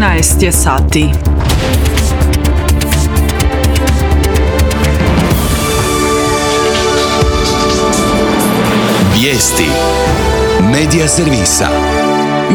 13 je sati. Vijesti Medija servisa.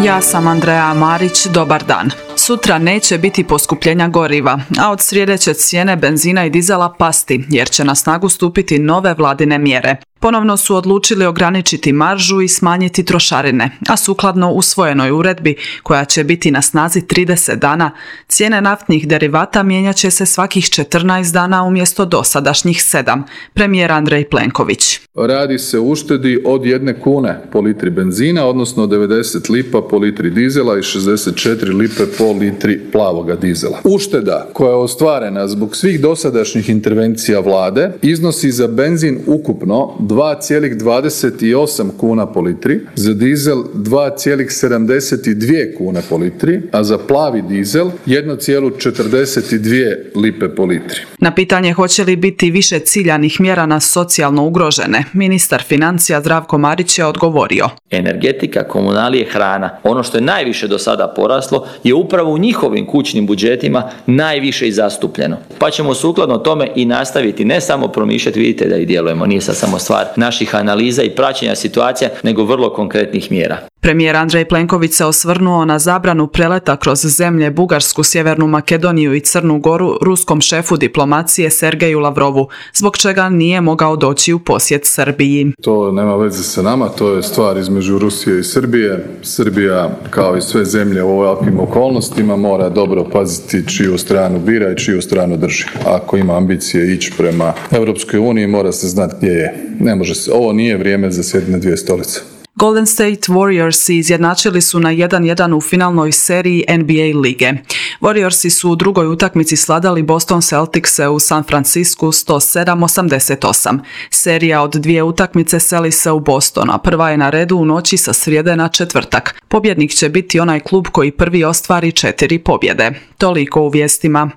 Ja sam Andreja Marić, dobar dan. Sutra neće biti poskupljenja goriva, a od srijede će cijene benzina i dizela pasti, jer će na snagu stupiti nove vladine mjere. Ponovno su odlučili ograničiti maržu i smanjiti trošarine, a sukladno usvojenoj uredbi, koja će biti na snazi 30 dana, cijene naftnih derivata mijenjat će se svakih 14 dana umjesto dosadašnjih 7, premijer Andrej Plenković. Radi se o uštedi od 1 kune po litri benzina, odnosno 90 lipa po litri dizela i 64 lipe po litri plavoga dizela. Ušteda koja je ostvarena zbog svih dosadašnjih intervencija vlade iznosi za benzin ukupno 2,28 kuna po litri, za dizel 2,72 kune po litri, a za plavi dizel 1,42 lipe po litri. Na pitanje hoće li biti više ciljanih mjera na socijalno ugrožene, ministar financija Zdravko Marić je odgovorio. Energetika, komunalije, hrana. Ono što je najviše do sada poraslo je upravo u njihovim kućnim budžetima najviše i zastupljeno. Pa ćemo sukladno tome i nastaviti ne samo promišljati, vidite da i djelujemo, nije sad samo stvar naših analiza i praćenja situacija, nego vrlo konkretnih mjera. Premijer Andrej Plenković se osvrnuo na zabranu preleta kroz zemlje Bugarsku, Sjevernu Makedoniju i Crnu Goru ruskom šefu diplomacije Sergeju Lavrovu, zbog čega nije mogao doći u posjet Srbiji. To nema veze sa nama, to je stvar između Rusije i Srbije. Srbija, kao i sve zemlje u ovakvim okolnostima, mora dobro paziti čiju stranu bira i čiju stranu drži. Ako ima ambicije ići prema Europskoj uniji, mora se znati gdje je. Ne može se, ovo nije vrijeme za sjediti na dvije stolice. Golden State Warriorsi izjednačili su na 1:1 u finalnoj seriji NBA lige. Warriorsi su u drugoj utakmici sladali Boston Celticse u San Francisku 107-88. Serija od 2 utakmice seli se u Boston, a prva je na redu u noći sa srijede na četvrtak. Pobjednik će biti onaj klub koji prvi ostvari 4 pobjede. Toliko u vijestima.